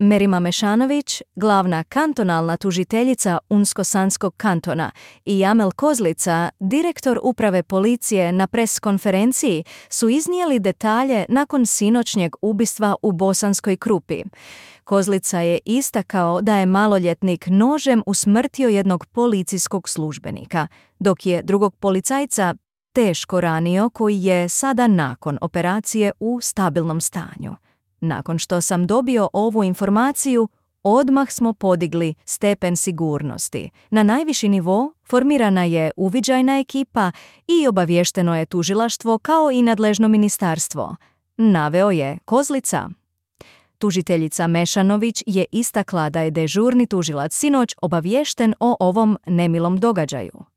Merima Mešanović, glavna kantonalna tužiteljica Unsko-Sanskog kantona, i Jamel Kozlica, direktor uprave policije, na pres konferenciji su iznijeli detalje nakon sinoćnjeg ubistva u Bosanskoj Krupi. Kozlica je istakao da je maloljetnik nožem usmrtio jednog policijskog službenika, dok je drugog policajca teško ranio, koji je sada nakon operacije u stabilnom stanju. Nakon što sam dobio ovu informaciju, odmah smo podigli stepen sigurnosti. Na najviši nivo formirana je uviđajna ekipa i obavješteno je tužilaštvo kao i nadležno ministarstvo, naveo je Kozlica. Tužiteljica Mešanović je istakla da je dežurni tužilac sinoć obaviješten o ovom nemilom događaju.